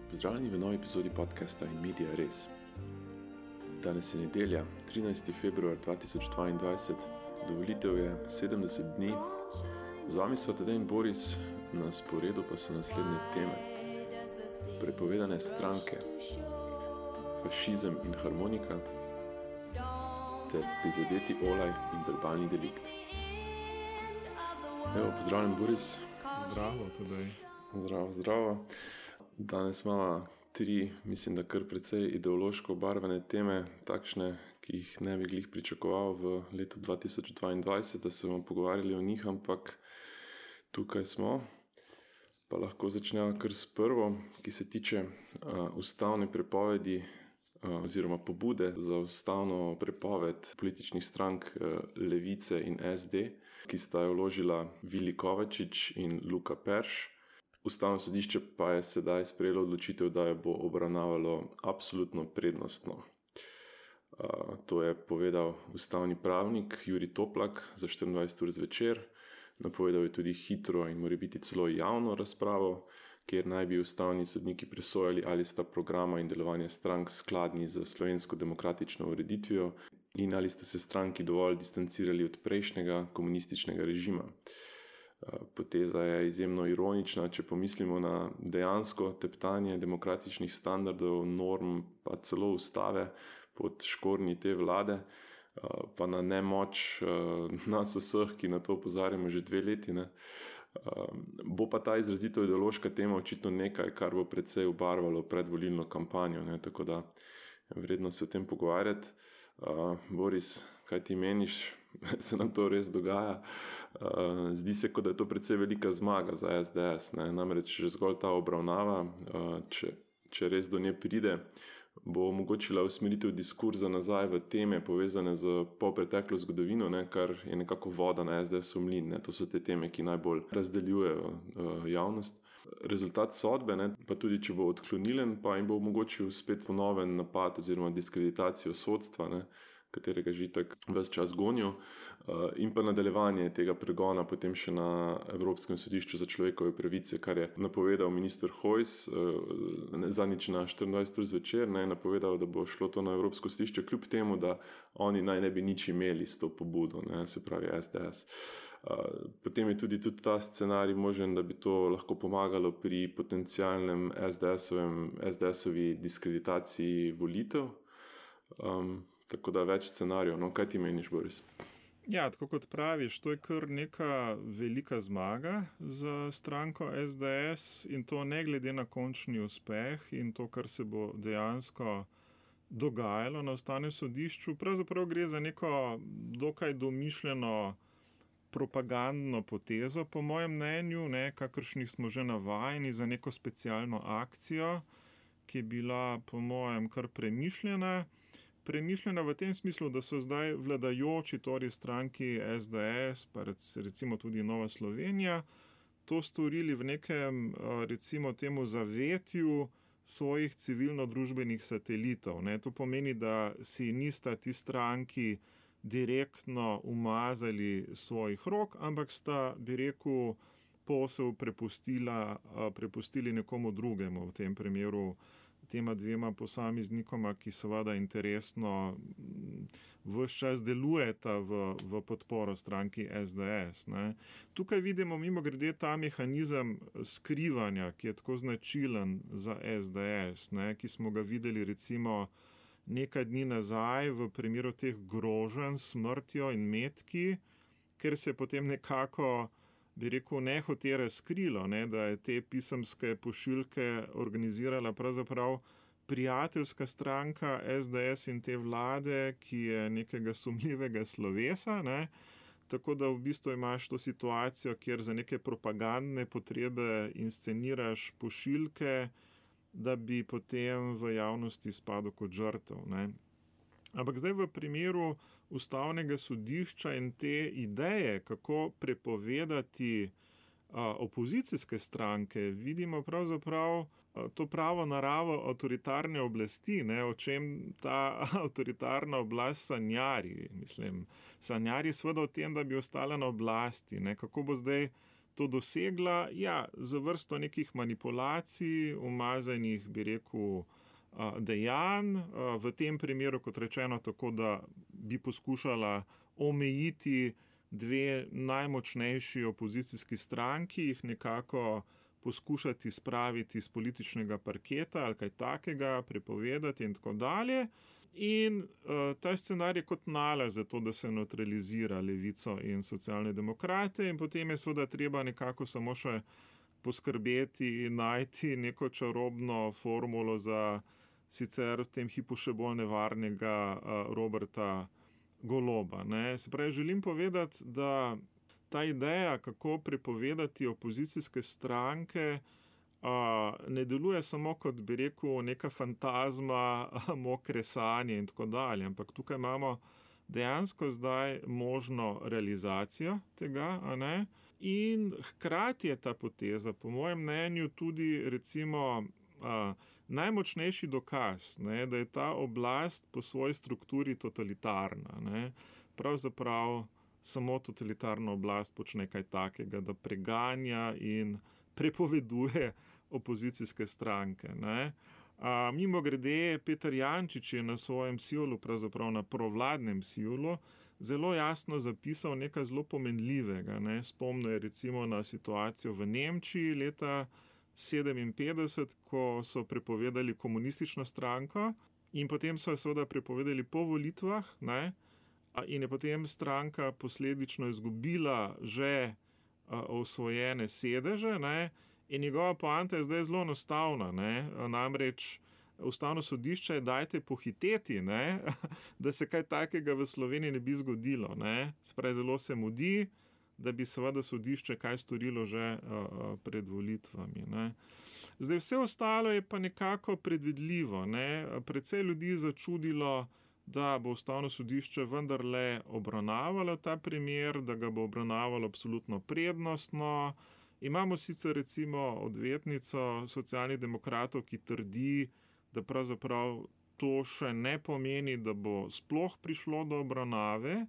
Pozdravljeni v novi epizodi podcasta In Media Res. Danes je nedelja, 13. februar 2022, do volitev je 70 dni. Z vami so Tadej in Boris, na sporedu pa so naslednje teme. Prepovedane stranke, fašizem in harmonika, ter prizadeti olaj in verbalni delikt. Evo, pozdravljen Boris. Zdravo, Tadej. Zdravo. Danes imamo tri, mislim, da kar precej ideološko obarvane teme, takšne, ki jih ne bi glih pričakoval v letu 2022, da se bomo pogovarjali o njih, ampak tukaj smo. Pa lahko začnemo kar s prvo, ki se tiče ustavne prepovedi oziroma pobude za ustavno prepoved političnih strank Levice in SD, ki sta jo vložila Vili Kovačič in Luka Perš. Ustavno sodišče pa je sedaj sprejelo odločitev, da jo bo obravnavalo absolutno prednostno. To je povedal ustavni pravnik Jurij Toplak za 24 ur zvečer. Napovedal je tudi hitro in morebiti celo javno razpravo, kjer naj bi ustavni sodniki presojali, ali sta programa in delovanje strank skladni z slovensko demokratično ureditvijo in ali sta se stranki dovolj distancirali od prejšnjega komunističnega režima. Poteza je izjemno ironična, če pomislimo na dejansko teptanje demokratičnih standardov, norm, pa celo ustave pod škornji te vlade, pa na nemoč nas vseh, ki na to opozarjamo že 2 leti. Bo pa ta izrazito ideološka tema očitno nekaj, kar bo precej obarvalo predvolilno kampanjo, tako da vredno se o tem pogovarjati. Boris, kaj ti meniš? Se nam to res dogaja? Zdi se, kot da je to precej velika zmaga za SDS. Namreč že zgolj ta obravnava, če res do nje pride, bo omogočila usmeritev diskurza nazaj v teme povezane z polpreteklo zgodovino, kar je nekako voda na SDS-ov mlin. To so te teme, ki najbolj razdeljujejo javnost. Rezultat sodbe, pa tudi če bo odklonilen, pa jim bo omogočil spet ponoven napad oziroma diskreditacijo sodstva, katerega že tak ves čas gonijo, in pa nadaljevanje tega pregona potem še na Evropskem sodišču za človekove pravice, kar je napovedal minister Hojs zadnjič na 24 ur zvečer, napovedal, da bo šlo to na Evropsko sodišče, kljub temu, da oni naj ne bi nič imeli s to pobudo, se pravi SDS. Potem je tudi ta scenarij možen, da bi to lahko pomagalo pri potencialnem SDS-ovi diskreditaciji volitev. Tako da več scenarijev. Kaj ti meniš, Boris? Ja, tako kot praviš, to je kar neka velika zmaga za stranko SDS in to ne glede na končni uspeh in to, kar se bo dejansko dogajalo na Ustavnem sodišču. Pravzaprav gre za neko dokaj domišljeno propagandno potezo, po mojem mnenju, kakršnih smo že navajeni, za neko specialno akcijo, ki je bila po mojem kar premišljena. Premišljena v tem smislu, da so zdaj vladajoči, torej stranki SDS, pa recimo tudi Nova Slovenija, to storili v nekem, recimo temu, zavetju svojih civilno-družbenih satelitov. To pomeni, da si nista ti stranki direktno umazali svojih rok, ampak sta, bi rekel, posel prepustili nekomu drugemu, v tem primeru tema 2 posameznikoma, ki seveda interesno ves čas delujeta v podporo stranki SDS. Tukaj vidimo mimogrede ta mehanizem skrivanja, ki je tako značilen za SDS, ki smo ga videli recimo nekaj dni nazaj v primeru teh groženj s smrtjo in metki, ker se je potem nekako, bi rekel, nehote razkrilo, da je te pisemske pošiljke organizirala pravzaprav prijateljska stranka SDS in te vlade, ki je nekega sumljivega slovesa, tako da v bistvu imaš to situacijo, kjer za neke propagandne potrebe insceniraš pošiljke, da bi potem v javnosti spadal kot žrtev. Ampak zdaj v primeru Ustavnega sodišča in te ideje, kako prepovedati opozicijske stranke, vidimo pravzaprav to pravo naravo avtoritarne oblasti, o čem ta avtoritarna oblast sanjari. Sanjari seveda o tem, da bi ostala na oblasti. Kako bo zdaj to dosegla? Ja, za vrsto nekih manipulacij, umazanih, bi rekel, dejanj, v tem primeru, kot rečeno, tako da bi poskušala omejiti dve najmočnejši opozicijski stranki, jih nekako poskušati spraviti z političnega parketa ali kaj takega, prepovedati in tako dalje. In ta scenarij kot nalaž za to, da se nevtralizira levico in socialne demokrate, in potem je seveda treba nekako samo še poskrbeti in najti neko čarobno formulo za sicer v tem hipu še bolj nevarnega Roberta Goloba. Ne. Se pravi, želim povedati, da ta ideja, kako prepovedati opozicijske stranke, ne deluje samo kot, bi rekel, neka fantazma, mokre sanje in tako dalje, ampak tukaj imamo dejansko zdaj možno realizacijo tega, a ne? In hkrati je ta poteza, po mojem mnenju, tudi recimo najmočnejši dokaz, ne, da je ta oblast po svoji strukturi totalitarna. Ne. Pravzaprav samo totalitarna oblast počne kaj takega, da preganja in prepoveduje opozicijske stranke. Ne. Mimogrede, Peter Jančič je na svojem sijolu, pravzaprav na provladnem sijolu, zelo jasno zapisal nekaj zelo pomenljivega. Ne. Spomnil je recimo na situacijo v Nemčiji leta 1957, ko so prepovedali komunistično stranko in potem so jo seveda prepovedali po volitvah, ne, in je potem stranka posledično izgubila že osvojene sedeže, ne, in njegova poanta je zdaj zelo enostavna, ne, namreč Ustavno sodišče je dajte pohiteti, ne, da se kaj takega v Sloveniji ne bi zgodilo. Ne. Se pravi, zelo se mudi, da bi seveda sodišče kaj storilo že pred volitvami. Ne. Zdaj vse ostalo je pa nekako predvidljivo. Ne. Precej ljudi je začudilo, da bo Ustavno sodišče vendarle obravnavalo ta primer, da ga bo obravnavalo absolutno prednostno. Imamo sicer recimo odvetnico Socialnih demokratov, ki trdi, da pravzaprav to še ne pomeni, da bo sploh prišlo do obravnave.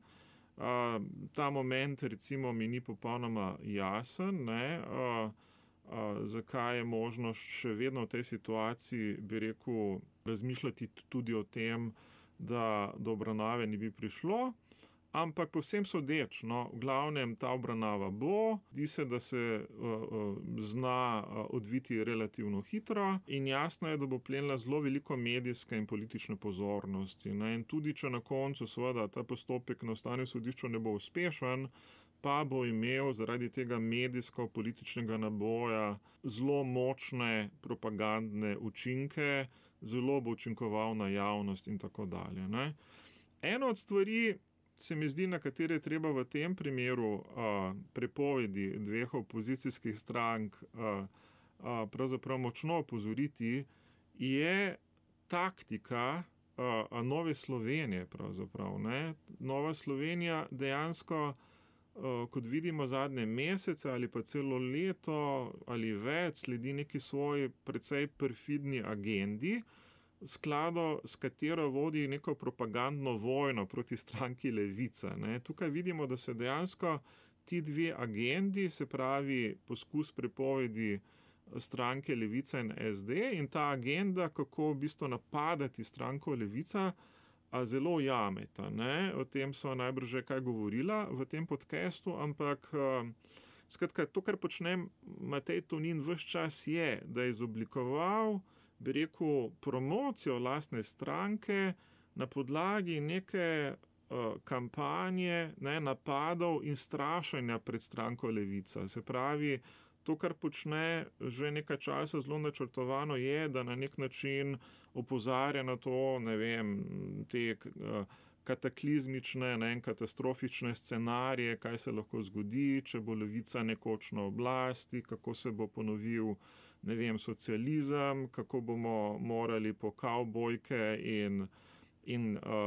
Ta moment recimo mi ni popolnoma jasen, ne, zakaj je možno še vedno v tej situaciji, bi rekel, razmišljati tudi o tem, da do obravnave ni bi prišlo, ampak povsem sodeč, no, v glavnem ta obravnava bo, zdi se, da se zna odviti relativno hitro in jasno je, da bo plenila zelo veliko medijske in politične pozornosti. Ne, in tudi, če na koncu seveda ta postopek na Ustavnem sodišču ne bo uspešen, pa bo imel zaradi tega medijsko-političnega naboja zelo močne propagandne učinke, zelo bo učinkoval na javnost in tako dalje. Ne. Eno od stvari se mi zdi, na katere je treba v tem primeru prepovedi dveh opozicijskih strank pravzaprav močno opozoriti, je taktika Nove Slovenije pravzaprav. Ne. Nova Slovenija dejansko, kot vidimo zadnje mesece ali pa celo leto ali več, sledi neki svoji precej perfidni agendi, v skladu s katero vodi neko propagandno vojno proti stranki Levica. Ne. Tukaj vidimo, da se dejansko ti dve agendi, se pravi poskus prepovedi stranke Levica in SD in ta agenda, kako v bistvu napadati stranko Levica, zelo jameta. Ne. O tem so najbrž že kaj govorila v tem podcastu, ampak skratka, to, kar počne Matej Tonin ves čas je, da je izoblikoval, bi rekel, promocijo lastne stranke na podlagi neke kampanje, ne, napadov in strašenja pred stranko Levica. Se pravi, to, kar počne že nekaj časa zelo načrtovano, je, da na nek način opozarja na to, ne vem, te kataklizmične, ne, katastrofične scenarije, kaj se lahko zgodi, če bo Levica nekoč na oblasti, kako se bo ponovil, ne vem, socializem, kako bomo morali po kavbojke in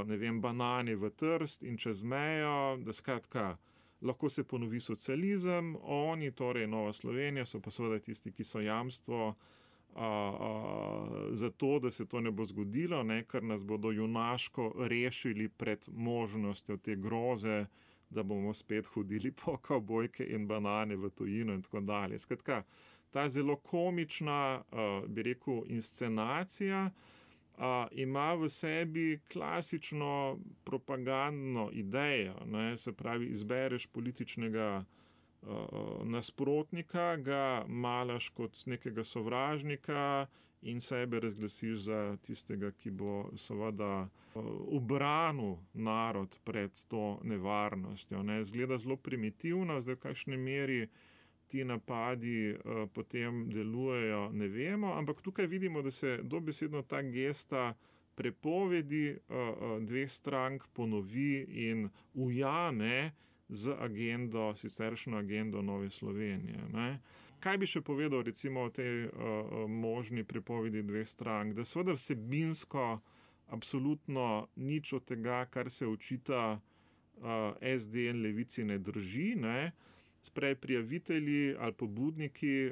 ne vem, banani v Trst in čez mejo, da skratka, lahko se ponovi socializem, oni, torej Nova Slovenija, so pa seveda tisti, ki so jamstvo za to, da se to ne bo zgodilo, ne, ker nas bodo junaško rešili pred možnostjo te groze, da bomo spet hodili po kavbojke in banane v tujino in tako dalje. Skratka, ta zelo komična, bi rekel, inscenacija ima v sebi klasično propagandno idejo, ne, se pravi, izbereš političnega nasprotnika, ga malaš kot nekega sovražnika in sebe razglasiš za tistega, ki bo seveda ubranil narod pred to nevarnostjo. Ne. Zgleda zelo primitivno, zdaj v kakšni meri ti napadi potem delujejo, ne vemo, ampak tukaj vidimo, da se dobesedno ta gesta prepovedi dveh strank ponovi in ujame z agendo, siceršnjo agendo Nove Slovenije. Ne. Kaj bi še povedal recimo o tej možni prepovedi dveh strank? Da seveda vsebinsko absolutno nič od tega, kar se očita SD in Levici, ne drži, ne. Sprej prijavitelji ali pobudniki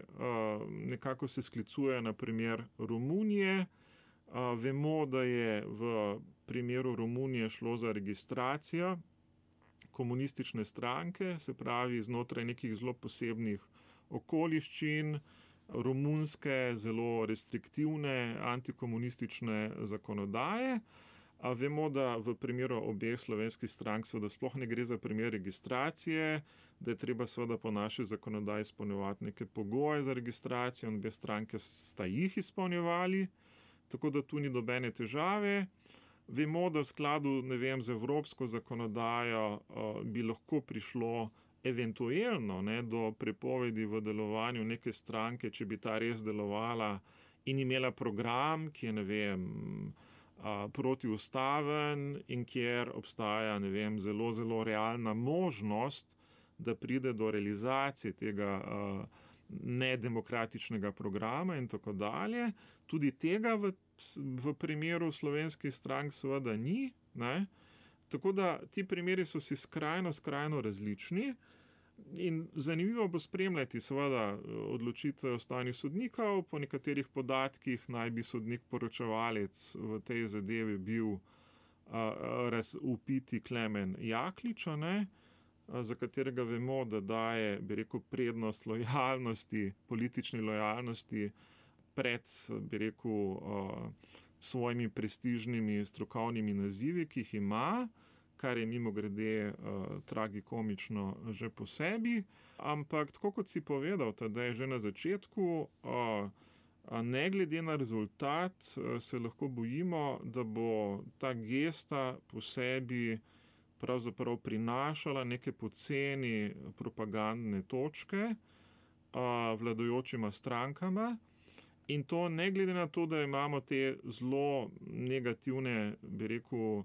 nekako se sklicujejo na primer Romunije. Vemo, da je v primeru Romunije šlo za registracijo komunistične stranke, se pravi znotraj nekih zelo posebnih okoliščin, romunske, zelo restriktivne antikomunistične zakonodaje. Vemo, da v primeru obeh slovenskih strank seveda sploh ne gre za primer registracije, da je treba seveda po naši zakonodaji izpolnjevati neke pogoje za registracijo in obe stranke sta jih izpolnjevali, tako da tu ni nobene težave. Vemo, da v skladu, ne vem, z evropsko zakonodajo bi lahko prišlo eventuelno, ne, do prepovedi v delovanju neke stranke, če bi ta res delovala in imela program, ki je, ne vem, protiustaven in kjer obstaja, ne vem, zelo, zelo realna možnost, da pride do realizacije tega nedemokratičnega programa in tako dalje. Tudi tega v primeru slovenskih strank seveda ni, ne. Tako da ti primeri so si skrajno različni in zanimivo bo spremljati seveda odločitve ustavnih sodnikov. Po nekaterih podatkih naj bi sodnik poročevalec v tej zadevi bil upiti Klemen Jaklič, ne, za katerega vemo, da daje, bi rekel, prednost lojalnosti, politični lojalnosti pred, bi rekel, svojimi prestižnimi strokovnimi nazivi, ki jih ima, kar je mimogrede tragikomično že po sebi. Ampak tako kot si povedal, da je že na začetku, ne glede na rezultat, se lahko bojimo, da bo ta gesta po sebi pravzaprav prinašala neke poceni propagandne točke vladajočima strankama. In to ne glede na to, da imamo te zelo negativne, bi rekel,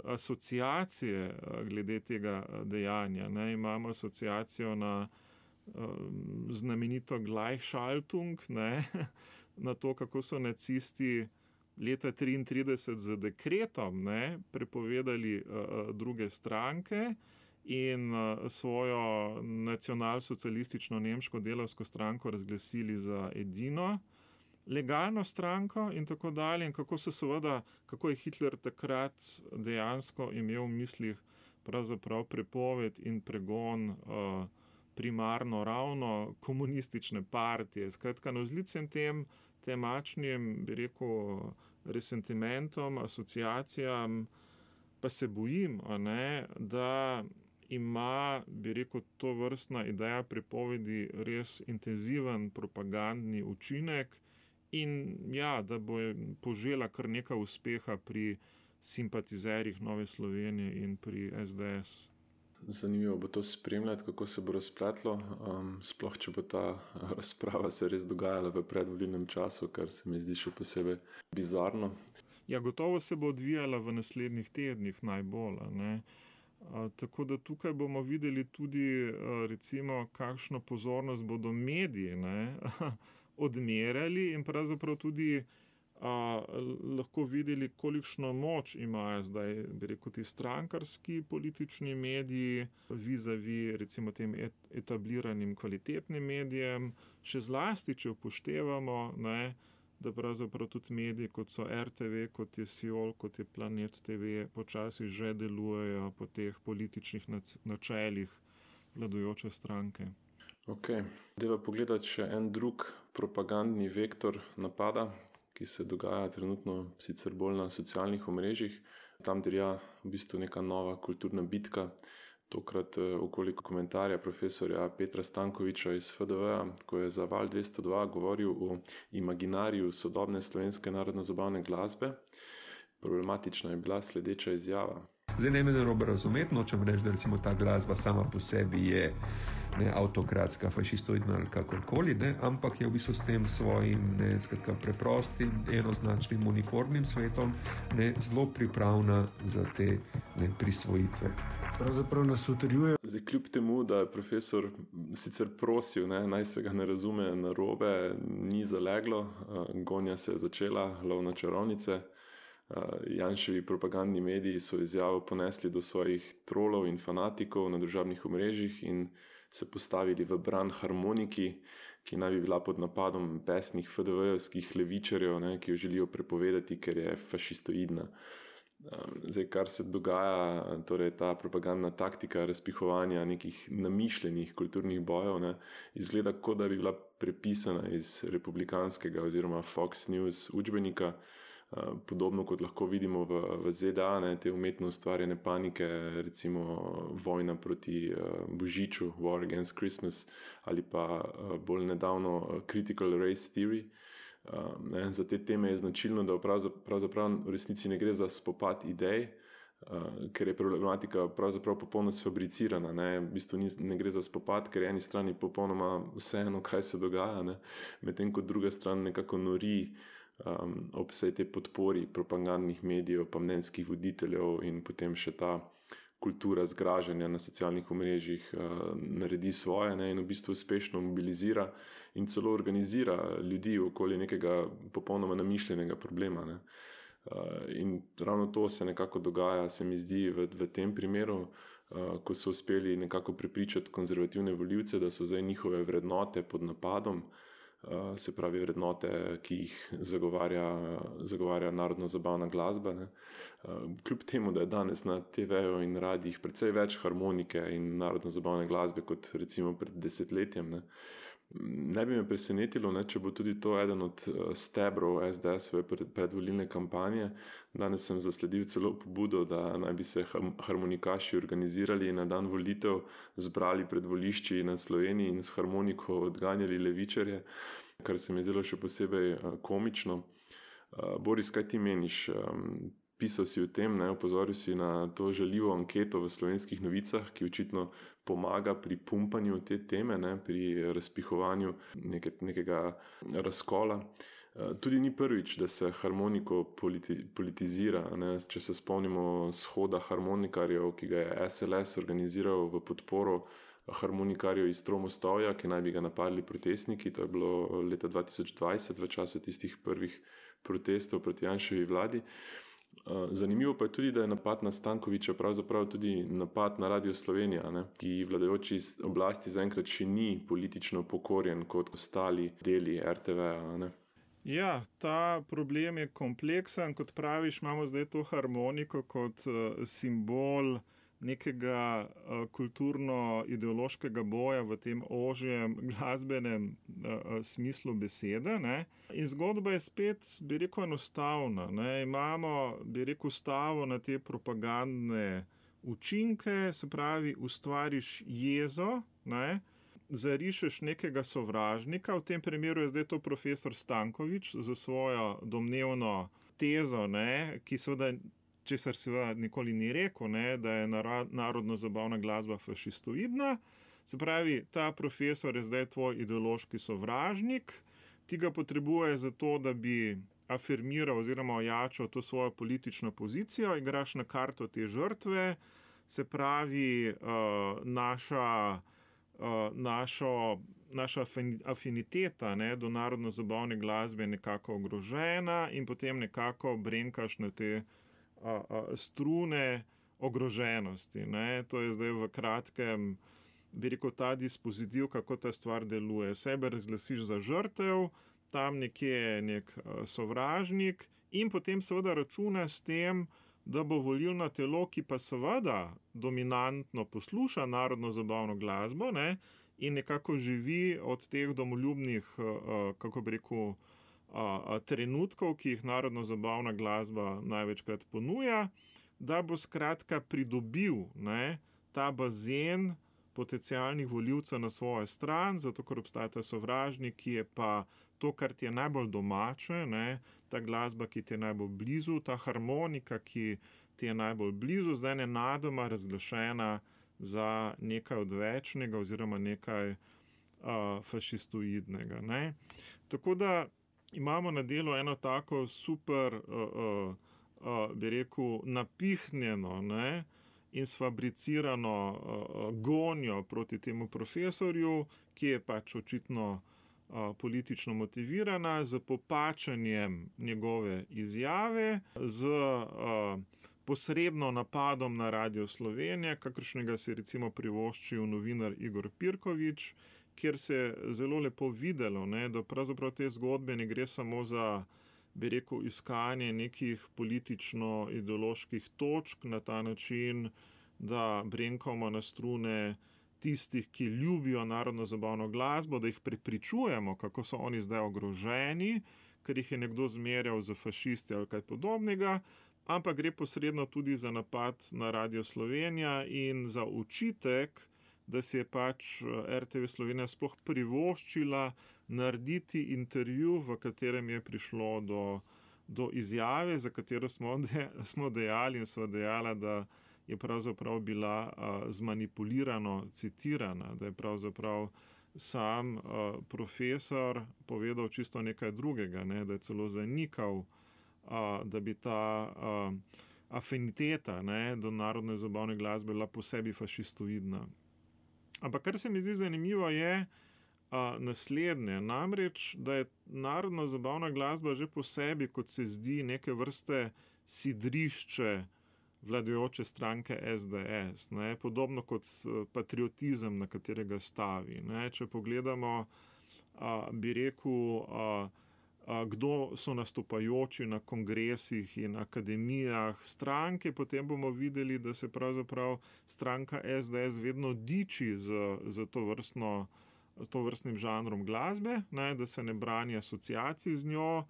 asociacije glede tega dejanja. Ne. Imamo asociacijo na znamenito Gleichschaltung, ne, na to, kako so nacisti leta 1933 z dekretom, ne, prepovedali druge stranke in svojo nacionalsocialistično nemško delavsko stranko razglasili za edino legalno stranko in tako dalje. In kako je Hitler takrat dejansko imel v mislih pravzaprav prepoved in pregon primarno ravno komunistične partije. Skratka, navzlic tem temačnim, bi rekel, resentimentom, asociacijam, pa se bojim, ne, da ima, bi rekel, to vrstna ideja prepovedi res intenziven propagandni učinek in ja, da bo požela kar nekaj uspeha pri simpatizerjih Nove Slovenije in pri SDS. Zanimivo bo to spremljati, kako se bo razpletlo, sploh če bo ta razprava se res dogajala v predvolilnem času, kar se mi zdi še posebej bizarno. Ja, gotovo se bo odvijala v naslednjih tednih najbolj, ne. Tako da tukaj bomo videli tudi recimo, kakšno pozornost bodo mediji, ne, odmerjali in pravzaprav tudi lahko videli, kolikšno moč imajo zdaj, bi rekel, ti strankarski politični mediji vizavi recimo tem etabliranim kvalitetnim medijem, še zlasti, če upoštevamo, ne, da pravzaprav tudi mediji, kot so RTV, kot je Siol, kot je Planet TV, počasi že delujejo po teh političnih načelih vladajoče stranke. Ok, deva pogledati še en drug propagandni vektor napada, ki se dogaja trenutno sicer bolj na socialnih omrežjih. Tam dirja v bistvu neka nova kulturna bitka, tokrat okoli komentarja profesorja Petra Stankoviča iz FDV, ko je za Val 202 govoril o imaginariju sodobne slovenske narodno-zabavne glasbe. Problematična je bila sledeča izjava. Zdaj ne me narobe razumeti, nočem reči, da recimo ta glasba sama po sebi je avtokratska, fašistoidna ali kakorkoli, ampak je v bistvu s tem svojim preprostim, enoznačnim, uniformnim svetom zelo pripravna za te prisvojitve. Pravzaprav nas utrjuje. Zdaj, kljub temu, da je profesor sicer prosil, naj se ga ne razume narobe, ni zaleglo, gonja se je začela, lov na čarovnice. Janševi propagandni mediji so izjavo ponesli do svojih trolov in fanatikov na družabnih omrežjih in se postavili v bran harmoniki, ki naj bi bila pod napadom besnih FDV-jevskih levičarjev, ki jo želijo prepovedati, ker je fašistoidna. Zdaj, kar se dogaja, torej ta propagandna taktika razpihovanja nekih namišljenih kulturnih bojev, izgleda, kot da bi bila prepisana iz republikanskega oziroma Fox News učbenika, podobno kot lahko vidimo v ZDA, te umetno ustvarjene panike, recimo vojna proti Božiču, War Against Christmas, ali pa bolj nedavno Critical Race Theory. Za te teme je značilno, da pravzaprav v resnici ne gre za spopad idej, ker je problematika pravzaprav popolno sfabricirana. V bistvu ne gre za spopad, ker je eni strani popolnoma vseeno, kaj se dogaja, medtem ko druga stran nekako nori ob vsej te podpori propagandnih medijev, pa mnenjskih voditeljev in potem še ta kultura zgražanja na socialnih omrežjih naredi svoje in v bistvu uspešno mobilizira in celo organizira ljudi okoli nekega popolnoma namišljenega problema. In ravno to se nekako dogaja, se mi zdi, v tem primeru, ko so uspeli nekako prepričati konzervativne volivce, da so zdaj njihove vrednote pod napadom, se pravi vrednote, ki jih zagovarja narodno-zabavna glasba. Kljub temu, da je danes na TV-ju in radijih precej več harmonike in narodno-zabavne glasbe kot recimo pred desetletjem. Ne bi me presenetilo, če bo tudi to eden od stebrov SDS-ove predvolilne kampanje. Danes sem zasledil celo pobudo, da naj bi se harmonikaši organizirali in na dan volitev zbrali pred volišči na Sloveniji in s harmoniko odganjali levičarje, kar se mi je zdelo še posebej komično. Boris, kaj ti meniš? Pisal si o tem, opozoril si na to žaljivo anketo v Slovenskih novicah, ki očitno pomaga pri pumpanju te teme, pri razpihovanju nekega razkola. Tudi ni prvič, da se harmoniko politizira. Če se spomnimo shoda harmonikarjev, ki ga je SLS organiziral v podporo harmonikarjev iz Tromostovja, ki naj bi ga napadli protestniki. To je bilo leta 2020, v času tistih prvih protestov proti Janševi vladi. Zanimivo pa je tudi, da je napad na Stankoviča pravzaprav tudi napad na Radio Slovenija, ki vladajoči oblasti zaenkrat še ni politično pokorjen kot ostali deli RTV-a. Ja, ta problem je kompleksen, kot praviš, imamo zdaj to harmoniko kot simbol nekega kulturno-ideološkega boja v tem ožjem glasbenem smislu besede. In zgodba je spet, bi rekel, enostavna. Imamo, bi rekel, stavo na te propagandne učinke, se pravi, ustvariš jezo, zarišeš nekega sovražnika, v tem primeru je zdaj to profesor Stankovič za svojo domnevno tezo, ki seveda česar seveda nikoli ni rekel, da je narodno-zabavna glasba fašistoidna. Se pravi, ta profesor je zdaj tvoj ideološki sovražnik, ti ga potrebuje zato, da bi afirmiral oziroma ojačal to svojo politično pozicijo, igraš na karto te žrtve, se pravi, naša afiniteta do narodno-zabavne glasbe je nekako ogrožena in potem nekako brenkaš na te strune ogroženosti. To je zdaj v kratkem, bi rekel, ta dispozitiv, kako ta stvar deluje. Sebe razglasiš za žrtev, tam nekje nek sovražnik in potem seveda računa s tem, da bo volilno telo, ki pa seveda dominantno posluša narodno zabavno glasbo, ne, in nekako živi od teh domoljubnih, kako bi rekel, trenutkov, ki jih narodno zabavna glasba največkrat ponuja, da bo skratka pridobil, ne, ta bazen potencialnih volivcev na svojo stran, zato ker obstaja ta sovražnik, ki je pa to, kar ti je najbolj domače, ne, ta glasba, ki ti je najbolj blizu, ta harmonika, ki ti je najbolj blizu, zdaj nenadoma razglašena za nekaj odvečnega oziroma nekaj fašistoidnega. Ne. Tako da imamo na delu eno tako super, bi rekel, napihnjeno, ne, in sfabricirano gonjo proti temu profesorju, ki je pač očitno politično motivirana, z popačanjem njegove izjave, z posredno napadom na Radio Slovenija, kakršnega si recimo privoščil novinar Igor Pirkovič, kjer se je zelo lepo videlo, ne, da pravzaprav te zgodbe ne gre samo za, bi rekel, iskanje nekih politično-ideoloških točk na ta način, da brenkamo na strune tistih, ki ljubijo narodno zabavno glasbo, da jih prepričujemo, kako so oni zdaj ogroženi, ker jih je nekdo zmerjal za fašisti ali kaj podobnega, ampak gre posredno tudi za napad na Radio Slovenija in za očitek, da si je pač RTV Slovenija sploh privoščila narediti intervju, v katerem je prišlo do izjave, za katero smo dejali in sva dejala, da je pravzaprav bila zmanipulirano citirana, da je pravzaprav sam profesor povedal čisto nekaj drugega, ne, da je celo zanikal, da bi ta afiniteta, ne, do narodne zabavne glasbe bila posebej fašistoidna. Ampak kar se mi zdi zanimivo je naslednje, namreč, da je narodno zabavna glasba že po sebi, kot se zdi, neke vrste sidrišče vladajoče stranke SDS, ne, podobno kot patriotizem, na katerega stavi. Ne. Če pogledamo, bi rekel, kdo so nastopajoči na kongresih in akademijah stranke, potem bomo videli, da se pravzaprav stranka SDS vedno diči z tovrstnim žanrom glasbe, ne, da se ne brani asociacij z njo.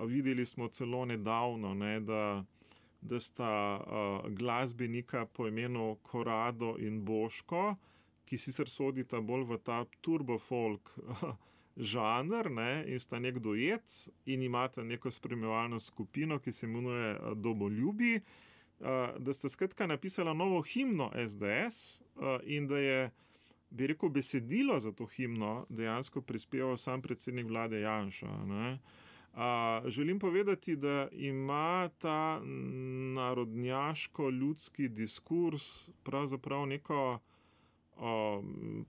Videli smo celo nedavno, ne, da sta glasbenika po imenu Korado in Boško, ki sicer sodita bolj v ta turbofolk žanr, ne, in sta nek duet in imata neko spremljevalno skupino, ki se imenuje Domoljubi, da sta skratka napisala novo himno SDS in da je, bi rekel, besedilo za to himno dejansko prispeval sam predsednik vlade Janša. Ne. Želim povedati, da ima ta narodnjaško-ljudski diskurs pravzaprav neko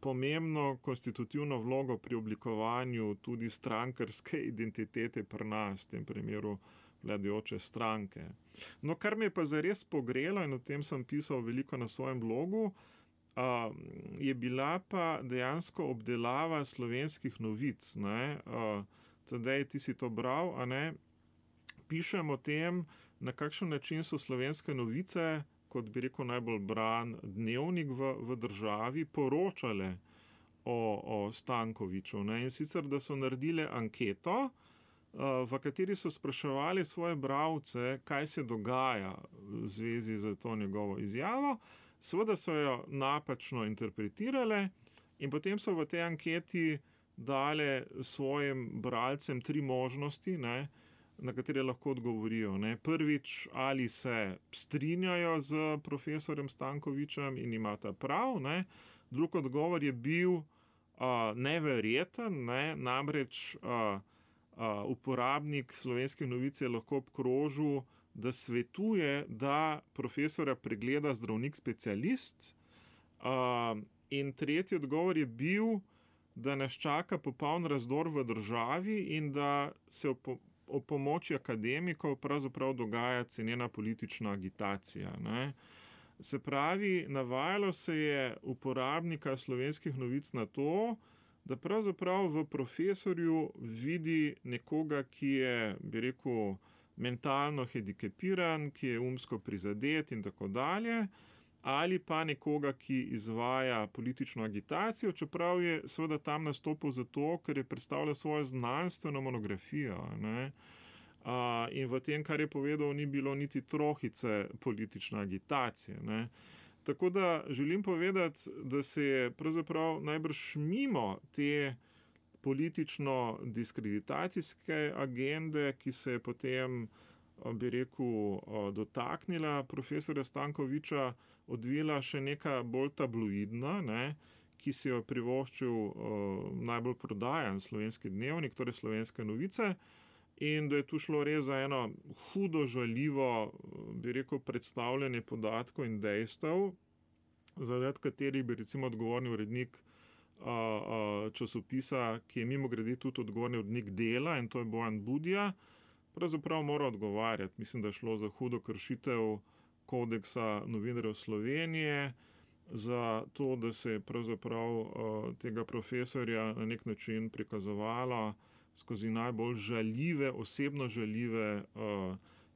pomembno konstitutivno vlogo pri oblikovanju tudi strankarske identitete pri nas, v tem primeru vladajoče stranke. No, kar me je pa zares pogrelo, in o tem sem pisal veliko na svojem blogu, je bila pa dejansko obdelava slovenskih novic. Ne. Tadej, ti si to bral, a ne? Pišem o tem, na kakšen način so slovenske novice, kot bi rekel najbolj bran dnevnik v državi, poročale o Stankoviču. Ne? In sicer, da so naredile anketo, v kateri so spraševali svoje bralce, kaj se dogaja v zvezi z to njegovo izjavo. Seveda so jo napačno interpretirale in potem so v tej anketi dale svojim bralcem 3 možnosti, ne, na katere lahko odgovorijo. Ne. Prvič, ali se strinjajo z profesorjem Stankovičem in imata prav. Ne. Drug odgovor je bil neverjeten, ne. Namreč uporabnik Slovenskih novic je lahko obkrožil, da svetuje, da profesorja pregleda zdravnik specialist. In tretji odgovor je bil, da nas čaka popoln razdor v državi in da se o pomoči akademikov pravzaprav dogaja cenena politična agitacija. Ne. Se pravi, navajalo se je uporabnika Slovenskih novic na to, da pravzaprav v profesorju vidi nekoga, ki je, bi rekel, mentalno hendikepiran, ki je umsko prizadet in tako dalje, ali pa nekoga, ki izvaja politično agitacijo, čeprav je seveda tam nastopil zato, ker je predstavljal svojo znanstveno monografijo, ne. In v tem, kar je povedal, ni bilo niti trohice politične agitacije, ne. Tako da želim povedati, da se je pravzaprav najbrž mimo te politično-diskreditacijske agende, ki se je potem, bi rekel, dotaknila profesorja Stankovića, odvila še neka bolj tabloidna, ne, ki si jo privoščil najbolj prodajan Slovenski dnevnik, torej Slovenske novice, in da je tu šlo res za eno hudo žaljivo, bi rekel, predstavljanje podatkov in dejstev, zaradi katerih bi recimo odgovorni urednik časopisa, ki je mimogrede tudi odgovorni urednik Dela, in to je Bojan Budja, pravzaprav mora odgovarjati. Mislim, da je šlo za hudo kršitev kodeksa novinarjev Slovenije, za to, da se je pravzaprav tega profesorja na nek način prikazovalo skozi najbolj žaljive, osebno žaljive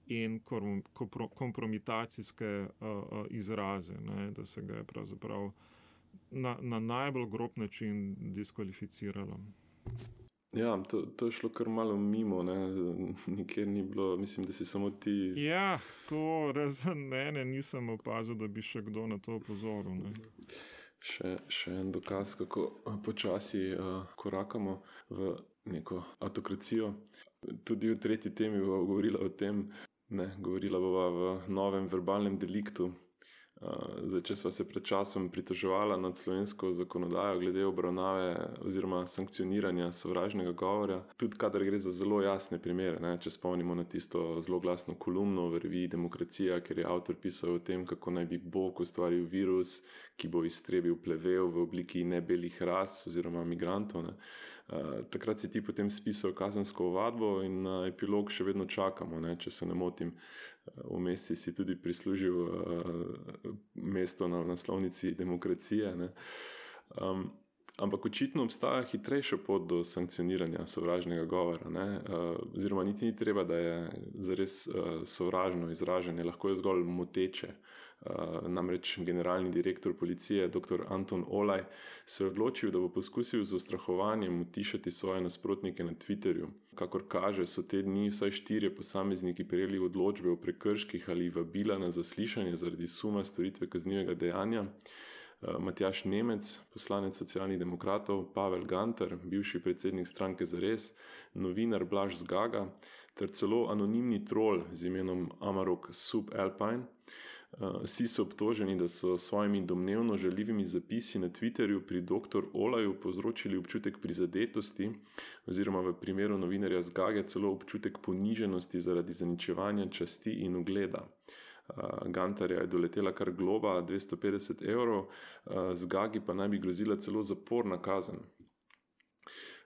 in kompromitacijske izraze, ne, da se ga je pravzaprav na najbolj grob način diskvalificiralo. Ja, to je šlo kar malo mimo, ne, nikjer ni bilo, mislim, da si samo ti... Ja, to razen mene nisem opazil, da bi še kdo na to opozoril, ne. Še en dokaz, kako počasi korakamo v neko autokracijo. Tudi v tretji temi bova govorila o tem, govorila bova v novem verbalnem deliktu. Zdaj, če sva se pred časom pritoževala nad slovensko zakonodajo glede obravnave oziroma sankcioniranja sovražnega govora, tudi kadar gre za zelo jasne primere, ne? Če spomnimo na tisto zloglasno kolumno v reviji Demokracija, ker je avtor pisal o tem, kako naj bi Bog ustvaril virus, ki bo iztrebil plevel v obliki nebelih ras oziroma migrantov, ne? Takrat si ti potem spisal kazensko ovadbo in na epilog še vedno čakamo, ne? Če se ne motim. Vmes si tudi prislužil mesto na naslovnici Demokracije, ne? Ampak očitno obstaja hitrejša pot do sankcioniranja sovražnega govora, ne? Oziroma niti ni treba, da je zares sovražno izražanje, lahko je zgolj moteče. Namreč generalni direktor policije, dr. Anton Olaj, se je odločil, da bo poskusil z ustrahovanjem utišati svoje nasprotnike na Twitterju. Kakor kaže, so te dni vsaj 4 posamezniki prejeli odločbe o prekrških ali vabila na zaslišanje zaradi suma storitve kaznivega dejanja. Matjaž Nemec, poslanec Socialnih demokratov, Pavel Gantar, bivši predsednik stranke Zares, novinar Blaž Zgaga ter celo anonimni trol z imenom Amarok Subalpine. Vsi so obtoženi, da so svojimi domnevno žaljivimi zapisi na Twitterju pri dr. Olaju povzročili občutek prizadetosti oziroma v primeru novinarja Zgage celo občutek poniženosti zaradi zaničevanja časti in ugleda. Gantarja je doletela kar globa 250 €, Zgagi pa naj bi grozila celo zaporna kazen.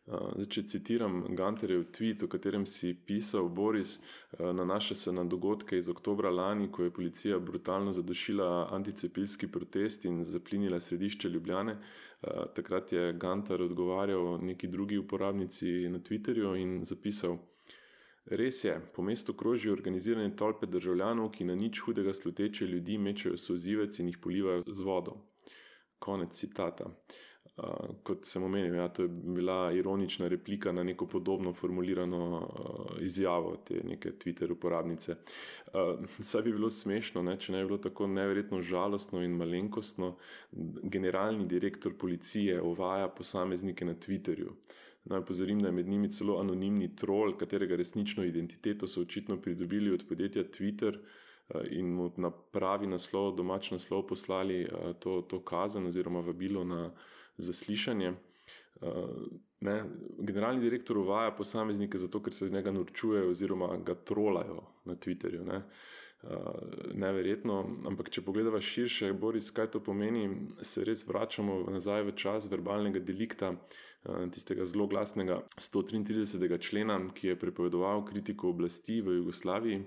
Zdaj, če citiram Gantarjev tweet, o katerem si pisal, Boris, nanaša se na dogodke iz oktobra lani, ko je policija brutalno zadušila anticepilski protest in zaplinila središče Ljubljane. Takrat je Gantar odgovarjal neki drugi uporabnici na Twitterju in zapisal: Res je, po mestu krožijo organizirane tolpe državljanov, ki na nič hudega sluteče ljudi mečejo solzivec in jih polivajo z vodo. Konec citata. Kot sem omenil, ja, to je bila ironična replika na neko podobno formulirano izjavo te neke Twitter uporabnice. Saj bi bilo smešno, ne, če ne bi bilo tako neverjetno žalostno in malenkostno. Generalni direktor policije uvaja posameznike na Twitterju. Naj opozorim, da je med njimi celo anonimni trol, katerega resnično identiteto so očitno pridobili od podjetja Twitter in mu na pravi naslov, domač naslov poslali to kazen oziroma vabilo na zaslišanje. Generalni direktor uvaja posameznike zato, ker se z njega norčujejo oziroma ga trolajo na Twitterju. Neverjetno, ampak če pogledava širše, Boris, kaj to pomeni, se res vračamo nazaj v čas verbalnega delikta, tistega zloglasnega 133. člena, ki je prepovedoval kritiko oblasti v Jugoslaviji.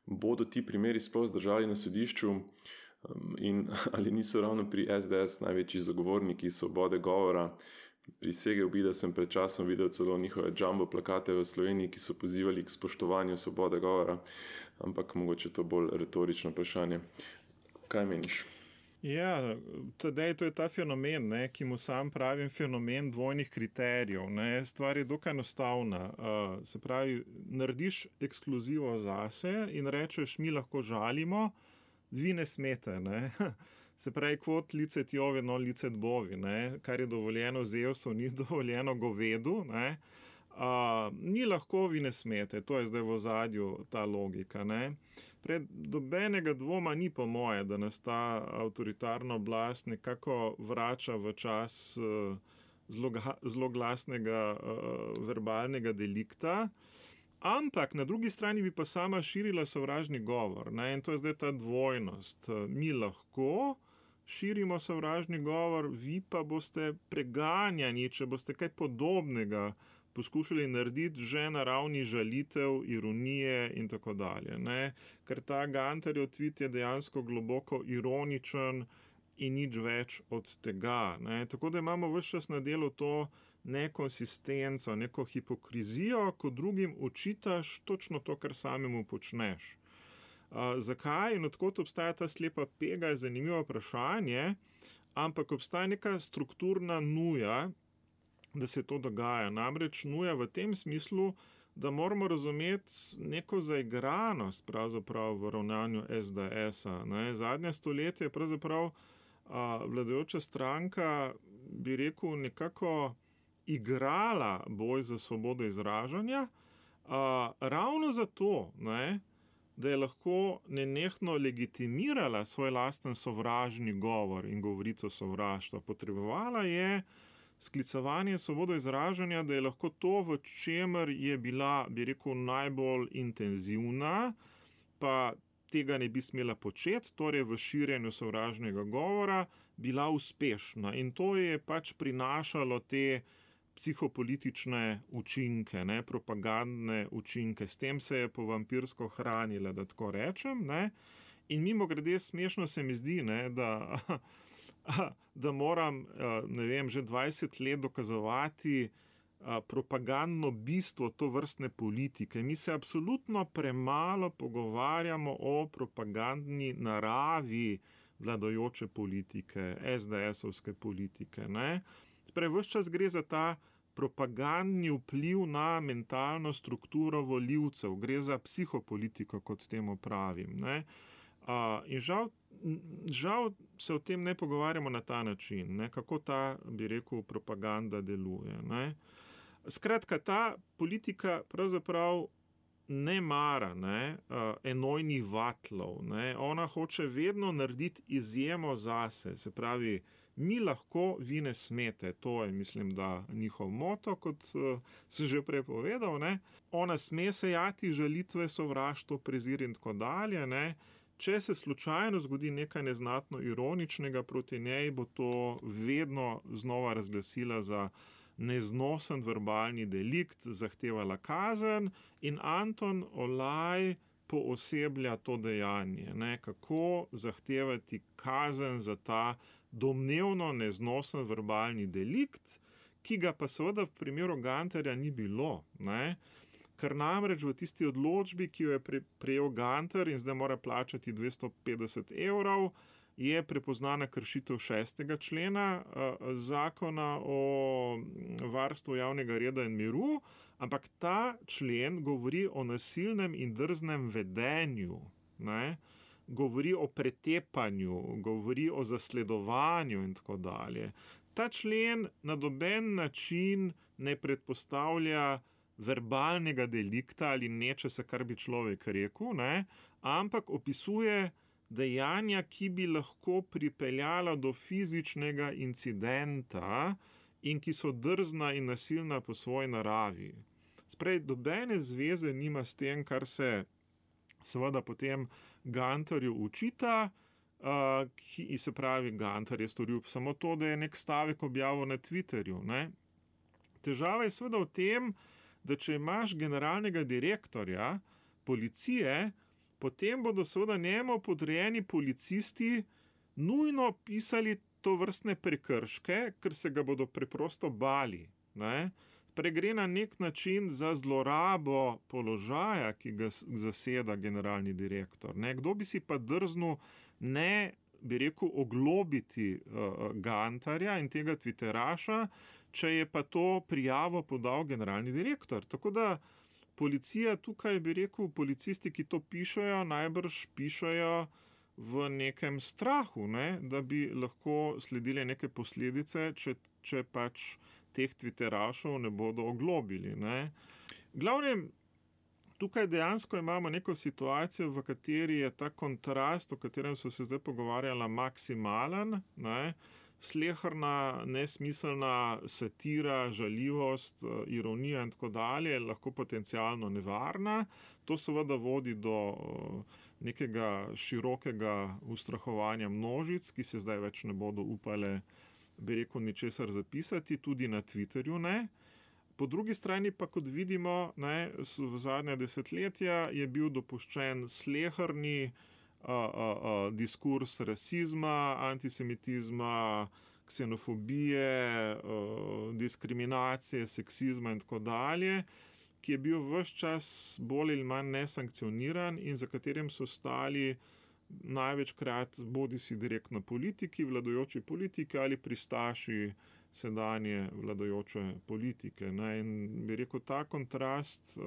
Bodo ti primeri sploh zdržali na sodišču in ali niso ravno pri SDS največji zagovorniki svobode govora, Prisegel bi, da sem pred časom videl celo njihove jumbo plakate v Sloveniji, ki so pozivali k spoštovanju svobode govora, ampak mogoče to bolj retorično vprašanje. Kaj meniš? Ja, tedaj to je ta fenomen, ne, ki mu sam pravim fenomen dvojnih kriterijev. Ne. Stvar je dokaj enostavna. Se pravi, narediš ekskluzivo zase in rečeš, mi lahko žalimo, vi ne smete. Ne. Se pravi, kvot licet Jovi, non licet bovi, ne. Kar je dovoljeno Zevsu, ni dovoljeno govedu. Ne. Ni lahko, vi ne smete. To je zdaj v ozadju ta logika. Ne. Pred dobenega dvoma ni po moje, da nas ta avtoritarna oblast nekako vrača v čas zloglasnega verbalnega delikta, ampak na drugi strani bi pa sama širila sovražni govor. Ne? In to je zdaj ta dvojnost. Mi lahko širimo sovražni govor, vi pa boste preganjani, če boste kaj podobnega poskušali narediti že na ravni žalitev, ironije in tako dalje. Ne? Ker ta Gantarjev tweet je dejansko globoko ironičen in nič več od tega. Ne? Tako da imamo ves čas na delu to nekonsistenco, neko hipokrizijo, ko drugim očitaš točno to, kar samemu počneš. Zakaj in odkot obstaja ta slepa pega, je zanimivo vprašanje, ampak obstaja neka strukturna nuja, da se to dogaja. Namreč nuja v tem smislu, da moramo razumeti neko zaigranost pravzaprav v ravnanju SDS-a. Zadnje stoletje je pravzaprav vladajoča stranka, bi rekel, nekako igrala boj za svobodo izražanja, ravno zato, da je lahko nenehno legitimirala svoj lasten sovražni govor in govorico sovraštva. Potrebovala je sklicevanje svobodo izražanja, da je lahko to, v čemer je bila, bi rekel, najbolj intenzivna, pa tega ne bi smela početi, torej v širjenju sovražnega govora, bila uspešna. In to je pač prinašalo te psihopolitične učinke, propagandne učinke. S tem se je povampirsko hranila, da tako rečem. In mimogrede smešno se mi zdi, da moram, že 20 let dokazovati propagandno bistvo to vrstne politike. Mi se absolutno premalo pogovarjamo o propagandni naravi vladajoče politike, SDS-ovske politike. Torej, ves čas gre za ta propagandni vpliv na mentalno strukturo volivcev, gre za psihopolitiko, kot temu pravim. In žal se o tem ne pogovarjamo na ta način, kako ta, bi rekel, propaganda deluje. Skratka, ta politika pravzaprav ne mara enojnih vatlov. Ona hoče vedno narediti izjemo zase, se pravi, mi lahko, vi ne smete. To je, mislim, da njihov moto, kot sem že prej povedal. Ona sme sejati žalitve, sovraštvo, prezir in tako dalje. Če se slučajno zgodi nekaj neznatno ironičnega proti njej, bo to vedno znova razglasila za neznosen verbalni delikt, zahtevala kazen in Anton Olaj pooseblja to dejanje. Kako zahtevati kazen za ta domnevno neznosen verbalni delikt, ki ga pa seveda v primeru Gantarja ni bilo. Ker namreč v tisti odločbi, ki jo je prejel Gantar in zdaj mora plačati 250 €, je prepoznana kršitev 6. člena zakona o varstvu javnega reda in miru, ampak ta člen govori o nasilnem in drznem vedenju, govori o pretepanju, govori o zasledovanju in tako dalje. Ta člen na noben način ne predpostavlja verbalnega delikta ali nečesa, kar bi človek rekel, ampak opisuje dejanja, ki bi lahko pripeljala do fizičnega incidenta in ki so drzna in nasilna po svoji naravi. Sprej, dobene zveze nima s tem, kar se seveda potem Gantarju učita, ki se pravi, Gantar je storil samo to, da je nek stavek objavil na Twitterju. Težava je seveda v tem, da če imaš generalnega direktorja policije, potem bodo seveda njemu podrejeni policisti nujno pisali to vrstne prekrške, ker se ga bodo preprosto bali. Ne? Gre na nek način za zlorabo položaja, ki ga zaseda generalni direktor. Ne? Kdo bi si pa drznil ne, bi rekel, oglobiti Gantarja in tega Twitteraša, če je pa to prijavo podal generalni direktor. Tako da policija tukaj, bi rekel, policisti, ki to pišejo, najbrž pišejo v nekem strahu, ne? Da bi lahko sledile neke posledice, če pač teh Twitterašov ne bodo oglobili. Ne? Glavnem, tukaj dejansko imamo neko situacijo, v kateri je ta kontrast, o katerem so se zdaj pogovarjala, maksimalen, ne? Sleherna, nesmiselna satira, žaljivost, ironija in tako dalje, lahko potencialno nevarna. To seveda vodi do nekega širokega ustrahovanja množic, ki se zdaj več ne bodo upale, bi rekel, ničesar zapisati, tudi na Twitterju ne. Po drugi strani pa, kot vidimo, ne, v zadnja desetletja je bil dopuščen sleherni diskurs rasizma, antisemitizma, ksenofobije, diskriminacije, seksizma in tako dalje, ki je bil ves čas bolj ali manj nesankcioniran in za katerim so stali največkrat bodisi direktno politiki, vladajoči politiki ali pristaši sedanje vladajoče politike. Ne? In bi rekel, ta kontrast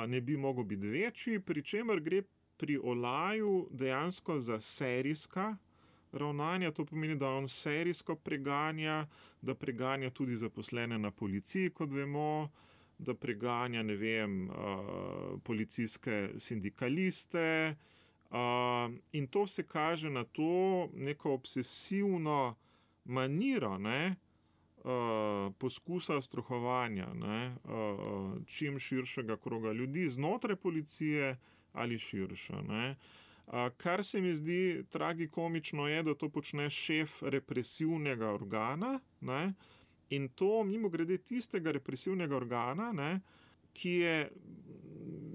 ne bi mogel biti večji, pri čemer gre pri Olaju dejansko za serijska ravnanja. To pomeni, da on serijsko preganja, da preganja tudi zaposlene na policiji, kot vemo, da preganja, ne vem, policijske sindikaliste, in to se kaže na to neko obsesivno maniro, ne, poskusa ustrahovanja, ne, čim širšega kroga ljudi znotraj policije ali širša. Ne. Kar se mi zdi tragikomično je, da to počne šef represivnega organa, ne, in to mimogrede tistega represivnega organa, ne, ki je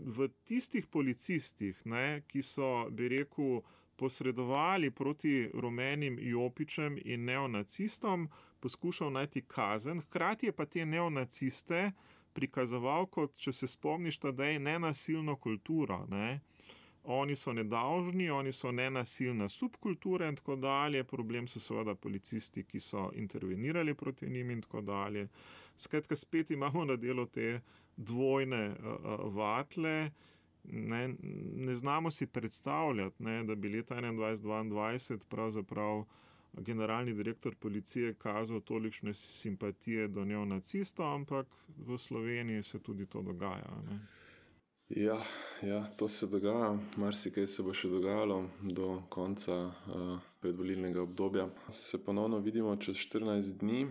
v tistih policistih, ne, ki so, bi rekel, posredovali proti rumenim jopičem in neonacistom, poskušal najti kazen, hkrati je pa te neonaciste prikazoval kot, če se spomniš, tedaj nenasilno kulturo. Ne. Oni so nedolžni, oni so nenasilna subkultura in tako dalje, problem so seveda policisti, ki so intervenirali proti njim in tako dalje. Skratka, spet imamo na delu te dvojne vatle. Ne znamo si predstavljati, ne, da bi leta 2021-2022 pravzaprav generalni direktor policije kazal tolikšne simpatije do neonacistov, ampak v Sloveniji se tudi to dogaja. Ne. Ja, to se dogaja. Marsikaj se bo še dogajalo do konca predvolilnega obdobja. Se ponovno vidimo čez 14 dni.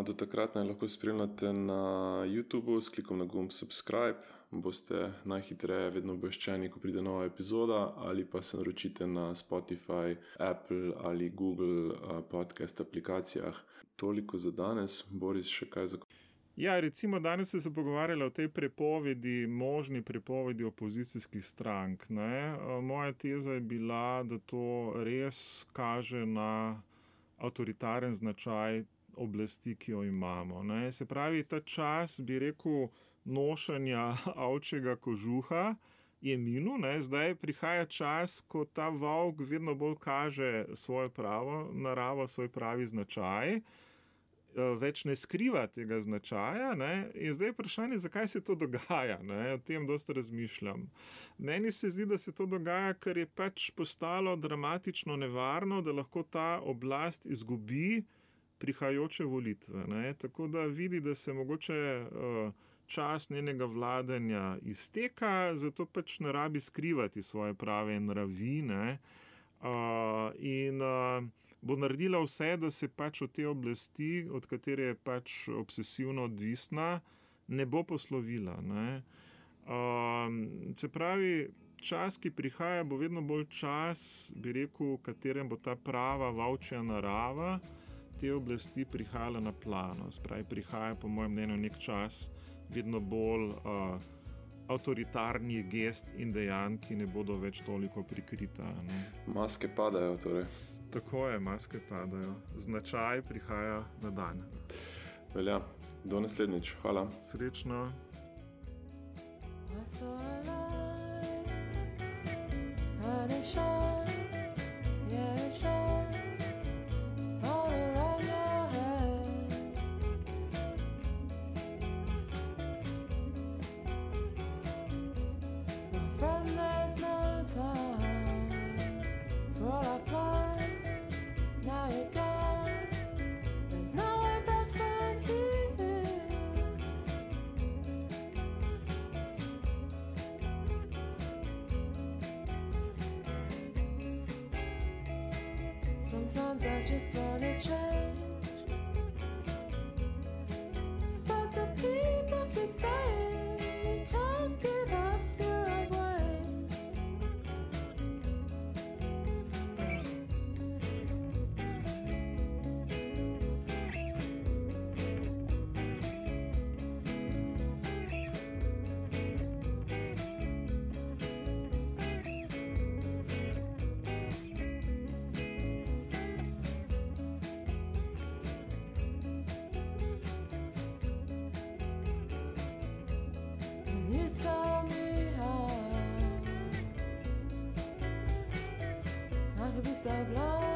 Do takrat naj lahko spremljate na YouTubeu s klikom na gumb subscribe. Boste najhitreje vedno obveščeni, ko pride nova epizoda, ali pa se naročite na Spotify, Apple ali Google podcast aplikacijah. Toliko za danes. Boris, še kaj za... Ja, recimo danes so se pogovarjali o tej možni prepovedi opozicijskih strank. Ne? Moja teza je bila, da to res kaže na avtoritaren značaj oblasti, ki jo imamo. Ne? Se pravi, ta čas, bi rekel, nošenja ovčjega kožuha je minil, ne? Zdaj prihaja čas, ko ta volk vedno bolj kaže svojo pravo naravo, svoj pravi značaj, več ne skriva tega značaja, ne? In zdaj je vprašanje, zakaj se to dogaja, ne? O tem dosti razmišljam. Meni se zdi, da se to dogaja, ker je pač postalo dramatično nevarno, da lahko ta oblast izgubi prihajajoče volitve, ne? Tako da vidi, da se mogoče čas njenega vladanja izteka, zato pač ne rabi skrivati svoje prave nravi, ne? Bo naredila vse, da se pač od te oblasti, od katere je pač obsesivno odvisna, ne bo poslovila. Ne? Se pravi, čas, ki prihaja, bo vedno bolj čas, bi rekel, v katerem bo ta prava volčja narava te oblasti prihajala na plano. Se pravi, prihaja po mojem mnenju nek čas vedno bolj avtoritarnih gest in dejanj, ki ne bodo več toliko prikrita. Ne? Maske padajo, torej. Tako je, maske padajo. Značaj prihaja na dan. Velja, do naslednjič. Hvala. Srečno. I saw a light, and it shone, yeah, it shone all around your head. My friend, there's no time for all our plans. Now you're gone, there's no way back from here. Sometimes I just wanna change, but the people keep saying you can't give up your old ways. And you tell me how I could be so blind.